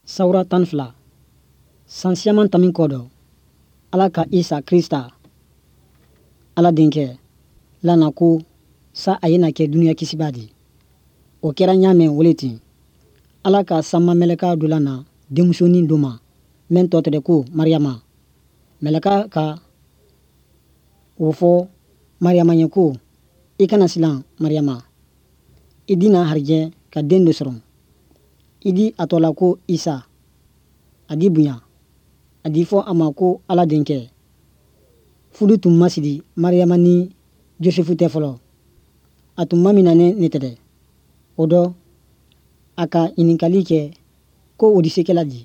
Sawura 12, san siyaman tamin kɔ dɔ, Ala ka Isa Krista, Ala denkɛ, lana ko sa a ye na kɛ duniya kisiba di. O kɛra ɲa mɛn wo le ten. Ala ka sanma mɛlɛka dɔ lana denmusonin dɔ ma mɛn tɔ tɛrɛ ko Mariyama. Mɛlɛka ka o fɔ Mariyama ye ko, i kana silan Mariyama, i di na harijɛ ka den dɔ sɔrɔ. I di a tɔ la ko Isa. A di bonya. A di fɔ a ma ko Ala denkɛ. Fudu tun ma sidi Mariyama ni Josefu tɛ fɔlɔ. A tun ma minɛnen ne tɛ dɛ. O dɔ, a ka ɲininkali kɛ ko o di se kɛla di.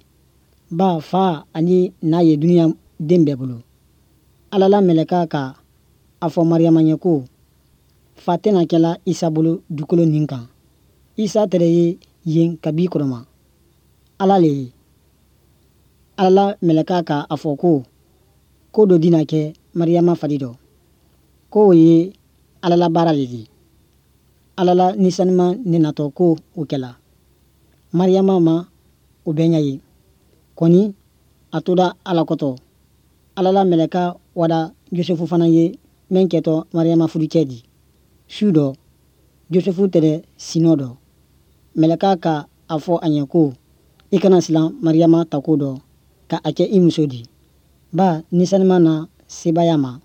Ba fa ani n'a ye duniya den bɛɛ bolo. Ala la mɛlɛka ka a fɔ Mariyama ye ko fa tɛna kɛla Isa bolo dukolo nin kan. Isa tɛrɛ ye yen kabi kɔrɔma. Ala le ye. Ala la mɛlɛka ka a fɔ ko ko dɔ dina kɛ Mariyama fari dɔ. Ko o ye Ala la baara le di. Ala la Ni Sanuma ne natɔ ko o kɛla. Mariyama ma o bɛɛ ɲɛ ye. Kɔni a tora Ala kɔtɔ. Ala la mɛlɛka wada Josefu fana ye mɛn kɛtɔ Mariyama furucɛ di. Su dɔ, Josefu tɛrɛ sinɔ dɔ. Mɛlɛka ka a fɔ a ɲɛ ko i kana silan Mariyama tako dɔ ka a kɛ i muso di. Ba Ni Sanuma na sebaya ma.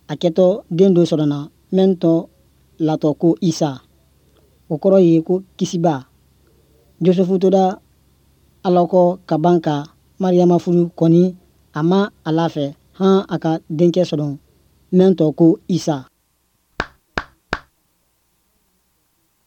A kɛtɔ den dɔ sɔrɔna mɛn tɔ latɔ ko Isa. O kɔrɔ ye ko kisiba. Josefu tora Ala kɔ ka ban ka Mariyama furu kɔni a ma a lafɛ han a ka denkɛ sɔrɔ mɛn tɔ ko Isa.